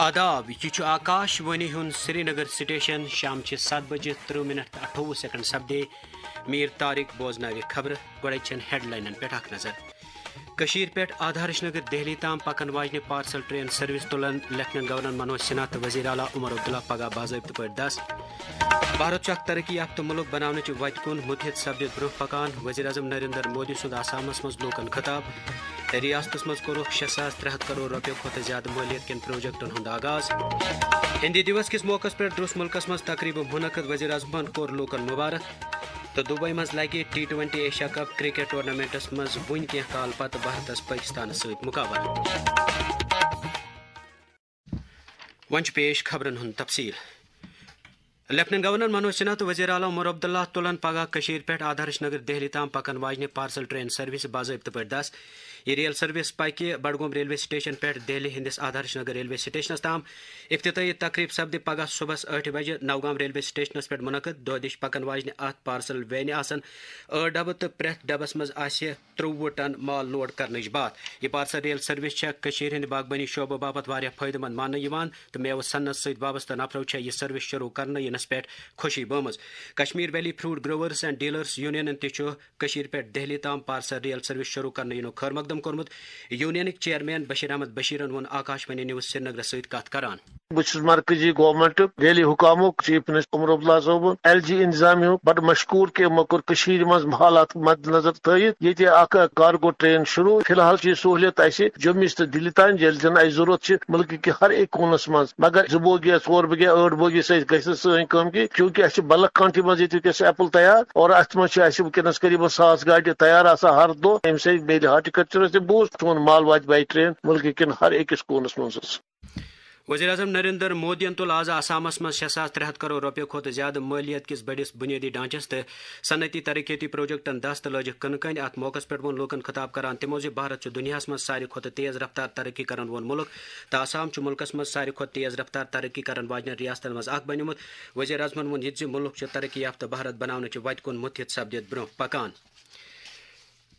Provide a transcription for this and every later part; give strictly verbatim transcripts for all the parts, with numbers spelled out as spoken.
آداب، یہِ چھُ آکاش وانی ہُنٛد سرینگر سٹیشن۔ شام چہِ ستھ بجہِ ترٕہ منٹ تہٕ اَٹھووُہ سیکنڈ سپدے۔ میر طارق بوزناوِ خبرٕ۔ گۄڈَے چھَن ہیڈلاینن پٮ۪ٹھ اکھ نظر۔ کٔشیٖرِ پٮ۪ٹھ آدھارش نگر دہلی تام پکن واجنہِ پارسل ٹرین سروس تُلن لیفٹیننٹ گورنر منوج سنہا تہٕ وزیر اعلیٰ عمر عبداللہ پگاہ باضٲبطہٕ پٲٹھۍ دس۔ بھارت چھُ اکھ ترقی یافتہٕ مُلک بناونٕچہِ وتہِ کُن مُتحد سپدِتھ برونٛہہ پکان، وزیر اعظم نریندر مودی سُنٛد آسامس منٛز لوٗکن خطاب۔ ریاستس منٛز کوٚرُکھ شےٚ ساس ترٛےٚ ہتھ کرور رۄپیو کھۄتہٕ زیادٕ مٲلیت کٮ۪ن پروجیکٹن ہُنٛد آغاز۔ ہندی دیوس کِس موقعس پٮ۪ٹھ درٛوس مُلکس منٛز تقریٖبہٕ منعقد، وزیر اعظمن کوٚر لوٗکن مبارک۔ تہٕ دبئی منٛز لگہِ T twenty Asia cup cricket tournaments منٛز وُنہِ کینٛہہ کال پتہٕ بھارتس پٲکستانس سۭتۍ مقابلہٕ۔ وۄنۍ چھُ پیش خبرن ہُنٛد تفصیل۔ لیفٹیننٹ گورنر منوج سنہا تہٕ وزیر اعلیٰ عمر عبداللہ تُلن پگاہ کٔشیٖرِ پٮ۪ٹھ آدھارش نگر دہلی تام پکن واجنہِ پارسل ٹرین سروسہِ باضٲبطہٕ پٲٹھۍ دس۔ یہِ ریل سروس پکہِ بڈگوم ریلوے سٹیشن پٮ۪ٹھ دہلی ہٕنٛدِس آدھارش نگر ریلوے سٹیشنس تام۔ افتتاحی تقریب سپدِ پگاہ صبحس ٲٹھِ بجہِ نوگام ریلوے سٹیشنس پٮ۪ٹھ منعقد۔ دۄہ دِش پکن واجنہِ اتھ پارسل وینہِ آسن ٲٹھ ڈبہٕ تہٕ پرٛٮ۪تھ ڈبس منٛز آسہِ ترٛوٚوُہ ٹن مال لوڈ کرنٕچ باتھ۔ یہِ پارسل ریل سروس چھےٚ کٔشیٖرِ ہٕنٛدِ باغبٲنی شعبہٕ باپتھ واریاہ فٲیدٕ مند ماننہٕ یِوان تہٕ میوٕ صنعت سۭتۍ وابستہٕ نفرو چھےٚ یہِ سروس شروع کرنہٕ ینس پٮ۪ٹھ خوشی بٲومٕژ۔ Kashmir valley fruit growers and dealers یونینن تہِ چھُ کٔشیٖرِ پٮ۪ٹھ دہلی تام پارسل ریل سروس شروع کرنہٕ یِنُک خٲر مقدم کوٚرمُت۔ یونینٕکۍ چیئرمین بشیر احمد بشیرن ووٚن آکاش وانی نیوز سرینگرس سۭتۍ کتھ کران۔ بہٕ چھُس مرکزی گورنمنٹُک، دہلی حکامُک، چیف منسٹر عمر عبداللہ صٲبُن، ایل جی انتظامیہ ہُک بڑٕ مشکوٗر کہِ یِمو کوٚر کٔشیٖرِ منٛز حالات مد نظر تھٲیِتھ ییٚتہِ اکھ کارگو ٹرین شروع۔ فی الحال چھِ یہِ سہوٗلیت اَسہِ جوٚمِس تہٕ دِلہِ تام، ییٚلہِ زن اَسہِ ضروٗرت چھِ مُلکہٕ کہِ ہر أکۍ کوٗنس منٛز۔ مگر زٕ بوگی یا ژور بوگی یا ٲٹھ بوگی سۭتۍ گژھِ نہٕ سٲنۍ کٲم کینٛہہ، چوٗنٛکہِ اَسہِ چھِ بلک کانٹی منٛز ییٚتہِ وٕنکیٚس ایپل تیار، اور اَتھ منٛز چھِ اَسہِ وٕنکیٚنس قریباً ساس گاڑِ تیار آسان ہر دۄہ۔ اَمہِ سۭتۍ میلہِ ہارٹیکلچرس تہِ بوٗسٹ، سون مال واتہِ باے ٹرین مُلکہٕ کٮ۪ن ہر أکِس کوٗنس منٛز حظ۔ وزیر اعظم نریندر مودیَن تُل آز آسامَس منٛز شےٚ ساس ترٛےٚ ہَتھ کرور رۄپیہِ کھۄتہٕ زیادٕ مٲلیت کِس بٔڑِس بُنیٲدی ڈھانچَس تہٕ صنعتی ترقیتی پروجیکٹَن دَس تہٕ لٲجِکھ کٕنہٕ کَنۍ۔ اَتھ موقعَس پٮ۪ٹھ ووٚن لوٗکَن خطاب کران تِمو زِ بھارت چھُ دُنیاہَس منٛز ساروی کھۄتہٕ تیز رفتار ترقی کرن وول مُلک تہٕ آسام چھُ مُلکَس منٛز ساروی کھۄتہٕ تیز رفتار ترقی کرن واجنٮ۪ن ریاستَن منٛز اکھ بنیومُت۔ وزیر اعظمَن ووٚن یہِ تہِ زِ مُلک چھُ ترقی یافتہٕ بھارت بناونٕچہِ وَتہِ کُن مُتحد سپدِتھ برٛونٛہہ پکان۔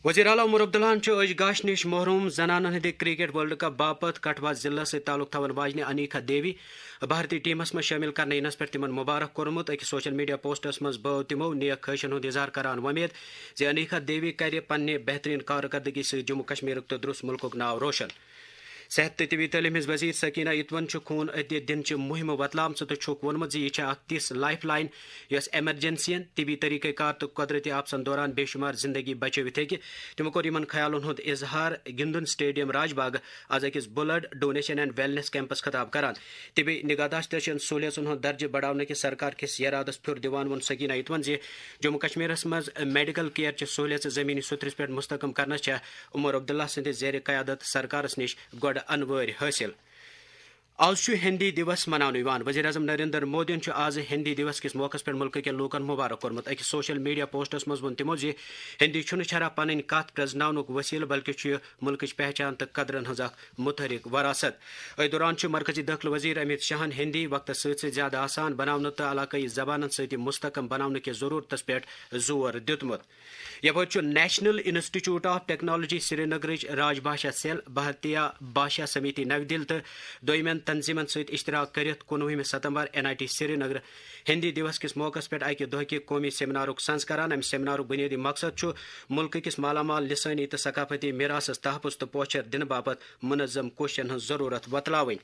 وزیر اعلیٰ عمر عبداللہَن چھُ أچھ گاش نِش محروم زنانَن ہٕنٛدِ کرکٹ ورلڈ کپ باپتھ کٹھوا ضلعس سۭتۍ تعلق تھاون واجنہِ انیکھا دیوی بھارتی ٹیمس منٛز شٲمِل کرنہٕ یِنس پٮ۪ٹھ تِمن مبارک کوٚرمُت۔ أکِس سوشل میڈیا پوسٹس منٛز بٲو تِمو نیک خواہشن ہُنٛد اظہار کران وۄمید زِ انیکھا دیوی کرِ پننہِ بہترین کارکردگی سۭتۍ جموں کشمیرُک تہٕ درُس مُلکُک ناو روشن۔ صحت تہٕ طبی تعلیٖم ہٕنٛز وزیر سکینہ اتون چھُ خوٗن عطیہ دِنچہِ مُہِمہِ وۄتلٲومٕژ تہٕ چھُکھ ووٚنمُت زِ یہِ چھےٚ اکھ تِژھ لائف لائن یۄس ایمرجنسین، طبی طریقہ کار تہٕ قدرتی آفژن دوران بے شمار زندگی بچٲوِتھ ہیٚکہِ۔ تِمو کوٚر یِمن خیالن ہُنٛد اظہار گِندُن سٹیڈیم راج باغ از أکِس بلڈ ڈونیشن اینڈ ویلنس کیمپس خطاب کران۔ طبی نگہداشتٕچن سہولیژن ہُنٛد درجہٕ بڑاونہٕ کِس سرکار کِس یرادس پھیُر دِوان ووٚن سکینہ اتون زِ جموں کشمیرس منٛز میڈیکل کیئر چہِ سہولیژٕ زمینی سطحس پٮ۪ٹھ مستحکم کرنس چھےٚ عمر عبداللہ سٕنٛدِ زیر قیادت سرکارس نِش گۄڈٕ انوٲرۍ حٲصِل۔ آز چھُ ہندی دیوس مناونہٕ یِوان۔ وزیر اعظم نریندر مودیَن چھُ آز ہندی دیوس کِس موقعس پٮ۪ٹھ مُلکہٕ کٮ۪ن لوٗکَن مبارک کوٚرمُت۔ أکِس سوشل میڈیا پوسٹس منٛز ووٚن تِمو زِ ہندی چھُنہٕ چھرا پنٕنۍ کتھ پرزناونُک وسیلہٕ، بلکہِ چھُ یہِ مُلکٕچ پہچان تہٕ قدرن ہٕنٛز اکھ متحرک وراثت۔ أتھۍ دوران چھُ مرکزی دٲخلہٕ وزیر امیت شاہن ہندی وقتس سۭتۍ سۭتۍ زیادٕ آسان بناونہٕ تہٕ علاقٲیی زبانن سۭتۍ یہِ مستحکم بناونہٕ کِس ضروٗرتس پٮ۪ٹھ زور دیُتمُت۔ یپٲرۍ چھُ نیشنل انسٹیٹیوٹ آف ٹیکنالوجی سرینگرٕچ راج بھاشا سیل، بھارتیہ بھاشا سمیتی نَوِ دِلہِ تہٕ دوٚیمٮ۪ن تنظیمن سۭتۍ اشتراک کٔرِتھ کُنوُہمہِ ستمبر N I T Srinagar Hindi Diwas کِس موقعس پٮ۪ٹھ اکہِ دۄہ کہِ قومی سیمینارُک سنز کران۔ امہِ سیمینارُک بنیٲدی مقصد چھُ مُلکہٕ کِس مالا مال لسٲنی تہٕ ثقافتی میراثس تحفظ تہٕ پوچھر دِنہٕ باپتھ منظم کوششن ہٕنٛز ضروٗرت وۄتلاوٕنۍ۔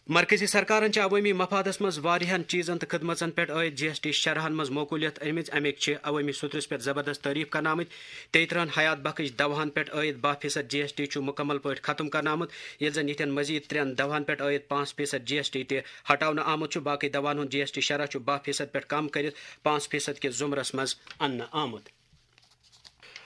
مرکزی سرکارن چھِ عوٲمی مفادس منٛز واریاہن چیزن تہٕ خدمژن پٮ۪ٹھ عٲید جی ایس ٹی شرحن منٛز معقولیت أنمٕژ۔ اَمِکۍ چھِ عوٲمی سطحس پٮ۪ٹھ زبردست تعریف کرنہٕ آمٕتۍ۔ تیٚترٕہن حیات بخش دواہن پٮ۪ٹھ عٲید باہ فیصد جی ایس ٹی چھُ مکمل پٲٹھۍ ختم کرنہٕ آمُت، ییٚلہِ زن یِتھٮ۪ن مزید ترٛٮ۪ن دواہن پٮ۪ٹھ عٲید پانٛژھ فیصد جی ایس ٹی تہِ ہٹاونہٕ آمُت چھُ۔ باقٕے دواہن ہُنٛد جی ایس ٹی شرح چھُ باہ فیصد پٮ۪ٹھ کم کٔرِتھ پانٛژھ فیصد کِس زمرس منٛز اننہٕ آمُت۔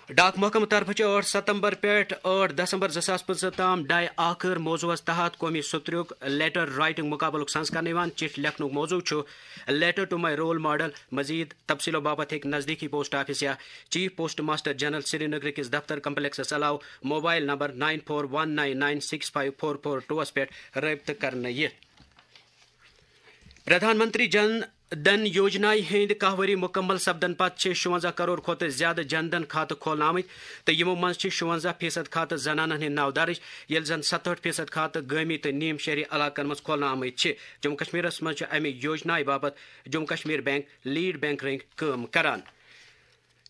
ڈاک محکمہٕ طرفہٕ چھُ ٲٹھ ستمبر پٮ۪ٹھ ٲٹھ دسمبر زٕ ساس پٕنٛژٕہ تام ڈاے آخر موضوعس تحت قومی سترُک لیٹر رائٹنگ مقابلُک سنز کرنہٕ یِوان۔ چِٹھۍ لیکھنُک موضوع چھُ Letter to my role model۔ مزید تفصیلو باپتھ ہیٚکہِ نزدیکی پوسٹ آفس یا chief post master general Srinagar کِس دفتر کمپلیکسس علاوٕ mobile number nine four one nine nine six five four four two پٮ۪ٹھ رٲبطہٕ کرنہٕ یِتھ۔ پردھان منتری جن دن یوجنایہِ ہٕنٛدۍ کاہ ؤری مُکمل سپدن پتہٕ چھِ شُونٛزاہ کرور کھۄتہٕ زیادٕ جن دھن کھاتہٕ کھولنہٕ آمٕتۍ، تہٕ یِمو منٛز چھِ شُونٛزاہ فیصد کھاتہٕ زنانن ہٕنٛدۍ ناو درٕج، ییٚلہِ زن ستہٲٹھ فیصد کھاتہٕ گٲمی تہٕ نیم شہری علاقن منٛز کھولنہٕ آمٕتۍ چھِ۔ جموں کشمیرس منٛز چھُ امہِ یوجنایہِ باپتھ Jammu Kashmir bank lead bank رٔنٛگۍ کٲم کران۔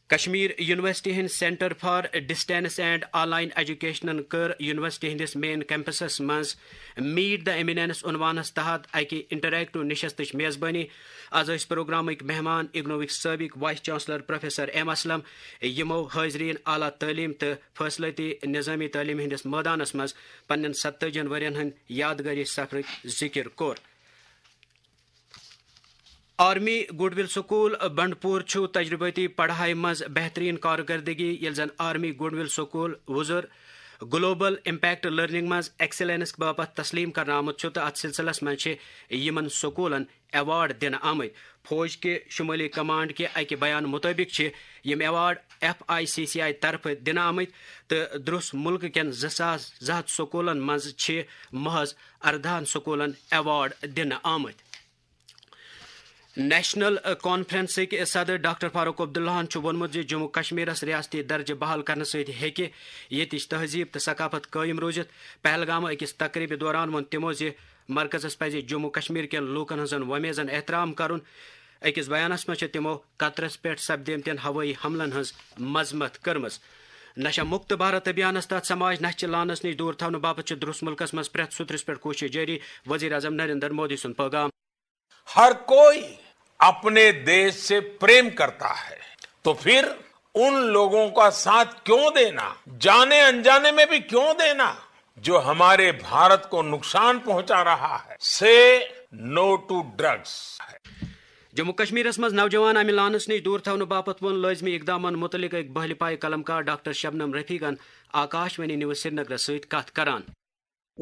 کشمیر یونیورسٹی ہٕنٛدۍ Centre for Distance and Online Educationن کٔر یونیورسٹی ہٕنٛدِس مین کیمپسس منٛز Meet the Eminence عنوانس تحت اکہِ انٹریکٹو نشستٕچ میزبٲنی۔ از ٲسۍ پروگرامٕکۍ مہمان اگنووٕکۍ سٲبق vice chancellor professor M Aslam, یِمو حاضرین اعلیٰ تعلیم تہٕ فٲصلٲتی نظامی تعلیم ہٕنٛدِس مٲدانس منٛز پننٮ۪ن ستٲجی ہن ؤرین ہٕنٛدۍ یادگٲری سفرٕکۍ ذکر کوٚر۔ Army goodwill school Bandipur چھُ تجربٲتی پڑھایہِ منٛز بہترین کارکردگی، ییٚلہِ زن آرمی گڈ ول سکول وُزُر گلوبل امپیکٹ لرننگ منٛز ایکسلنس باپتھ تسلیم کرنہٕ آمُت چھُ، تہٕ اتھ سلسلس منٛز چھِ یِمن سکولن ایوارڈ دِنہٕ آمٕتۍ۔ فوج کہِ شمٲلی کمانڈ کہِ اکہِ بیان مطٲبق چھِ یِم award F I C C I طرفہٕ دِنہٕ آمٕتۍ، تہٕ درٛس مُلکہٕ کٮ۪ن زٕ ساس زٕ ہتھ سکوٗلن منٛز چھِ محض اردہن سکوٗلن ایوارڈ دِنہٕ آمٕتۍ۔ نیشنل کانفرنسٕکۍ صدر ڈاکٹر فاروق عبداللہن چھُ ووٚنمُت زِ جموں کشمیرس ریاستی درجہٕ بحال کرنہٕ سۭتۍ ہیٚکہِ ییٚتِچ تہذیب تہٕ ثقافت قٲیِم روٗزِتھ۔ پہلگامہٕ أکِس تقریبہِ دوران ووٚن تِمو زِ مرکزس پزِ جموں کشمیر کٮ۪ن لوٗکن ہٕنٛزن وۄمیزن احترام کرُن۔ أکِس بیانس منٛز چھِ تِمو قطرس پٮ۪ٹھ سپدیمتٮ۪ن ہوٲیی حملن ہٕنٛز مذمت کٔرمٕژ۔ نشہ مکت بھارت ابھیانس تحت سماج نشہ چہِ لانس نِش دوٗر تھاونہٕ باپتھ چھِ درٛس مُلکس منٛز پرٛٮ۪تھ سوٚترِس پٮ۪ٹھ کوٗشش جٲری، وزیر اعظم نریندر مودی سُنٛد پٲغام۔ हर कोई अपने देश से प्रेम करता है, तो फिर उन लोगों का साथ क्यों देना, जाने अनजाने में भी क्यों देना, जो हमारे भारत को नुकसान पहुंचा रहा है। से नो टू ड्रग्स। جموں کشمیرس منٛز نوجوان امہِ لانس نِش دوٗر تھاونہٕ باپتھ ووٚن لٲزمی اقدامن مُتعلق أکۍ بٔہلہِ پایہِ قلمکار ڈاکٹر شبنم رفیقن آکاش وانی نیوز سرینگرس سۭتۍ کتھ کران۔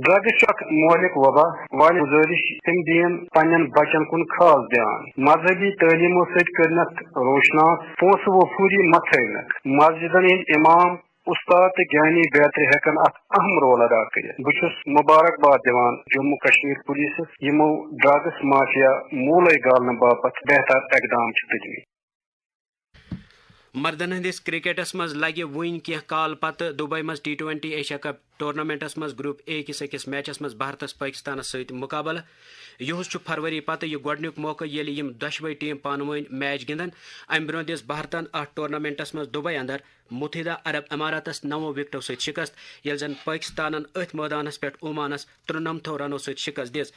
ڈرگز چھُ اکھ مہلک وبا۔ والدین گزٲرِش تِم دِیِن پننٮ۪ن بچن کُن خاص دیان۔ مذہبی تعلیمو سۭتۍ کٔرنکھ روشناس، پونسہٕ وۄپھوٗری مہ تھٲونکھ۔ مسجدن ہٕنٛدۍ امام، استاد تہٕ گیانی بیترِ ہیکن اکھ اہم رول ادا کٔرِتھ۔ بہٕ چھُس مبارکباد دِوان جموں کشمیر پولیسس یِمو ڈرگس مافیا موٗلے گالنہٕ باپتھ بہتر اقدام چھِ تُلمٕتۍ۔ مردن ہٕنٛدِس کرکٹس منٛز لگہِ وُنۍ کینٛہہ کال پتہٕ دبئی منٛز T twenty Asia cup tournaments منٛز گروپ اے کِس أکِس میچس منٛز بھارتس پٲکستانس سۭتۍ مقابلہٕ۔ یُہُس چھُ فروری پتہٕ یہِ گۄڈٕنیُک موقعہٕ ییٚلہِ یِم دۄشوے ٹیم پانہٕ وٲنۍ میچ گِنٛدن۔ امہِ برٛونٛہہ دِژ بھارتن اتھ ٹورنامنٹس منٛز دبئی اندر متحدہ عرب اماراتس نَوو وکٹو سۭتۍ شکست، ییٚلہِ زن پٲکستانن أتھۍ مٲدانس پٮ۪ٹھ عمانس ترُنمتھو رنو سۭتۍ شکست دِژ۔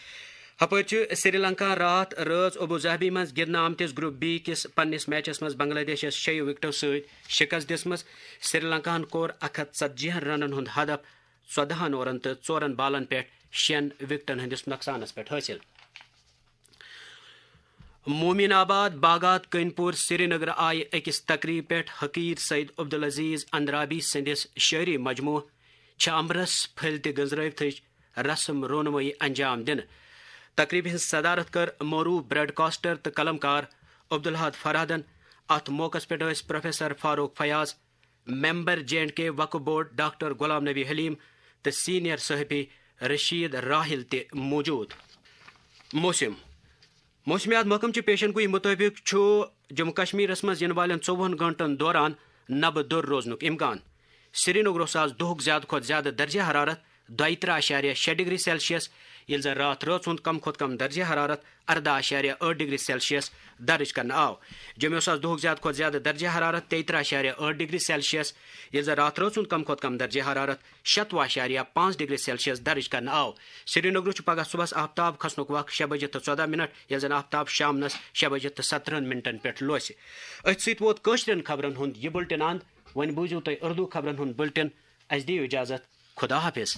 ہپٲرۍ چھُ سری لنکاہن راتھ رٲژ ابو ظہبی منٛز گِنٛدنہٕ آمتِس گروپ بی کِس پننِس میچس منٛز بنگلہ دیشس شیٚیو وکٹو سۭتۍ شکست دِژمٕژ۔ سری لنکاہن کوٚر اکھ ہتھ ژتجی ہن رنن ہُنٛد ہدف ژۄدہن اورن تہٕ ژورن بالن پٮ۪ٹھ شیٚن وکٹن ہٕنٛدِس نۄقصانس پٮ۪ٹھ حٲصِل۔ مومن آباد باغات کٔنۍ پوٗر سرینگر آیہِ أکِس تقریٖب پٮ۪ٹھ حقیٖر سید عبدالعزیز اندرابی سٕنٛدِس شٲعری مجموعہٕ چھِ امرس پھٔلۍ تہِ گٔنزرٲوتھٕچ رسم رونمٲیی انجام دِنہٕ۔ تقریبہِ ہٕنٛز صدارت کٔر معروف براڈکاسٹر تہٕ قلمکار عبدالحاد فرحادن۔ اتھ موقعس پٮ۪ٹھ ٲسۍ professor Farooq Fayaz, member J and K Waqf board doctor Ghulam Nabi Halim تہٕ سینئر صحافی رشید راحل تہِ موجود۔ موسم۔ موسمیات محکمہٕ چہِ پیشن گویی مُطٲبِق چھُ جموں کشمیرس منٛز یِنہٕ والٮ۪ن ژوٚوُہن گٲنٛٹن دوران نبہٕ دوٚر روزنُک امکان۔ سرینگرس آز دۄہُک زیادٕ کھۄتہٕ زیادٕ درجہ حرارت دۄیہِ ترٕٛہ اعشاریہ شےٚ ڈگری سیلسیس، ییٚلہِ زن راتھ رٲژ ہُنٛد کم کھۄتہٕ کم درجہ حرارت ارداہ اعشاریہ ٲٹھ ڈگری سیلسیس درج کرنہٕ آو۔ جوٚمیُس آز دۄہُک زیادٕ کھۄتہٕ زیادٕ درجہ حرارت تیٚیہِ ترٕٛہ اعشاریہ ٲٹھ ڈگری سیلسیس، ییٚلہِ زن راتھ رٲژ ہُنٛد کم کھۄتہٕ کم درجہ حرارت شتوُہ اعشاریہ پانٛژھ ڈگری سیلسیس درج کرنہٕ آو۔ سرینگرس چھُ پگہہ صبحس آفتاب کھسنُک وق شےٚ بجے تہٕ ژۄداہ منٹ، ییٚلہِ زن آفتاب شامنس شےٚ بجے تہٕ ستترٕٛہن منٹن پٮ۪ٹھ لوسہِ۔ أتھۍ سۭتۍ ووت کٲشرٮ۪ن خبرن ہُنٛد یہِ بُلٹن اند۔ وۄنۍ بوٗزِو تُہۍ اردو خبرن ہُنٛد بُلٹن۔ اسہِ دِیِو اجازت۔ خدا حافظ۔